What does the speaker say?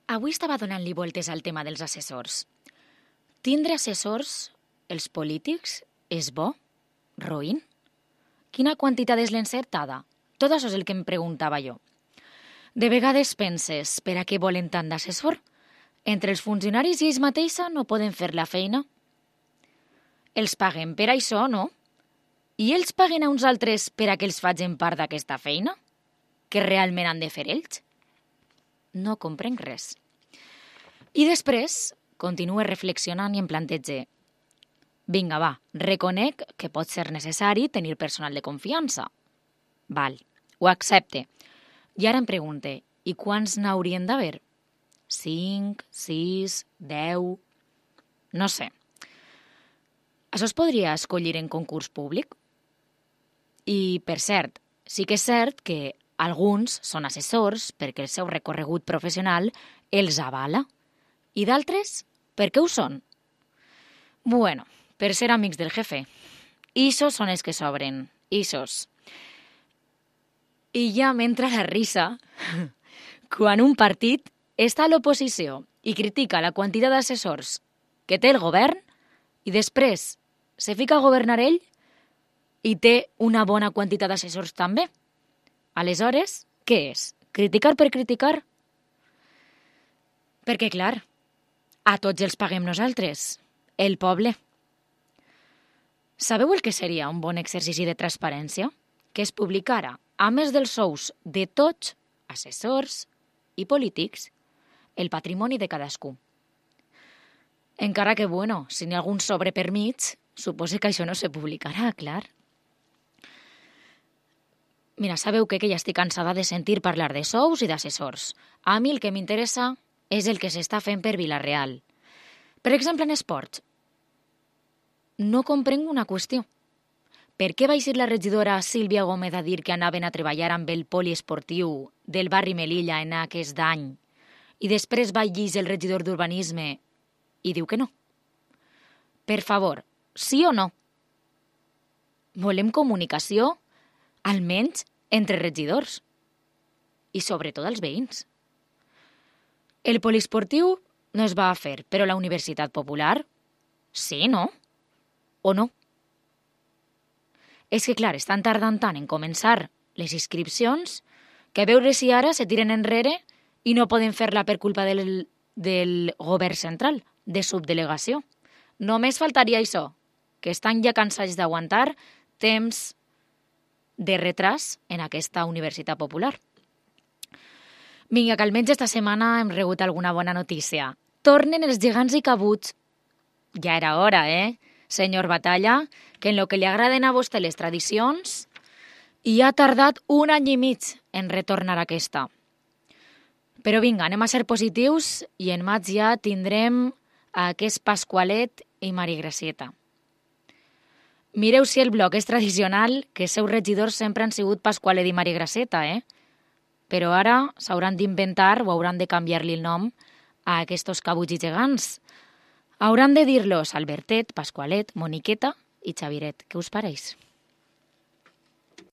Avui estava donant-li voltes al tema dels assessors. Tindre assessors, els polítics, és bo? Roïn? Quina quantitat és l'encertada? Tot això és el que em preguntava jo. De vegades penses, per a què volen tant d'assessor? Entre els funcionaris i ells mateixa no poden fer la feina? Els paguen per això, no? I ells paguen a uns altres per a que els facin part d'aquesta feina? Que realment han de fer ells? No comprenc res. I després continuo reflexionant i em plantege. Vinga, va, reconec que pot ser necessari tenir personal de confiança. Val, ho accepte. I ara em pregunte, i quants n'haurien d'haver? 5, 6, 10... No sé. Això es podria escollir en concurs públic? I, per cert, sí que és cert que alguns són assessors perquè el seu recorregut professional els avala i d'altres perquè ho són. Bueno, per ser amics del jefe. Ixos són els que sobren, ixos. I ja m'entra la risa quan un partit està a l'oposició i critica la quantitat d'assessors que té el govern i després se fica a governar ell i té una bona quantitat d'assessors també. Aleshores, què és? Criticar per criticar? Perquè, clar, a tots els paguem nosaltres, el poble. Sabeu el que seria un bon exercici de transparència? Que es publicara, a més dels sous de tots, assessors i polítics, el patrimoni de cadascú. Encara que, bueno, si n'hi ha algun sobre per mig, suposo que això no se publicarà, clar. Mira, sabeu que ja estic cansada de sentir parlar de sous i d'assessors. A mi el que m'interessa és el que s'està fent per Vila-real. Per exemple, en esports. No comprenc una qüestió. Per què va eixir la regidora Sílvia Gómez a dir que anaven a treballar amb el poliesportiu del barri Melilla en aquest any i després va llegir el regidor d'Urbanisme i diu que no? Per favor, sí o no? Volem comunicació, almenys entre regidors i sobretot els veïns. El poliesportiu no es va fer, però la Universitat Popular sí, no? O no? És que, clar, estan tardant tant en començar les inscripcions que a veure si ara se tiren enrere i no poden fer-la per culpa del govern central, de subdelegació. Només faltaria això, que estan ja cansats d'aguantar temps de retras en aquesta Universitat Popular. Vinga, que almenys esta setmana hem rebut alguna bona notícia. Tornen els gegants i cabuts. Ja era hora, senyor Batalla, que en lo que li agraden a vostè les tradicions, i ha tardat 1 any i mig en retornar aquesta. Però vinga, anem a ser positius i en maig ja tindrem aquest Pasqualet i Maria Gracieta. Mireu si el bloc és tradicional, que els seus regidors sempre han sigut Pasqualet i Maria Gracieta, Però ara s'hauran d'inventar o hauran de canviar-li el nom a aquests cabuts i gegants. Hauran de dir-los Albertet, Pasqualet, Moniqueta i Xaviret. Què us pareix?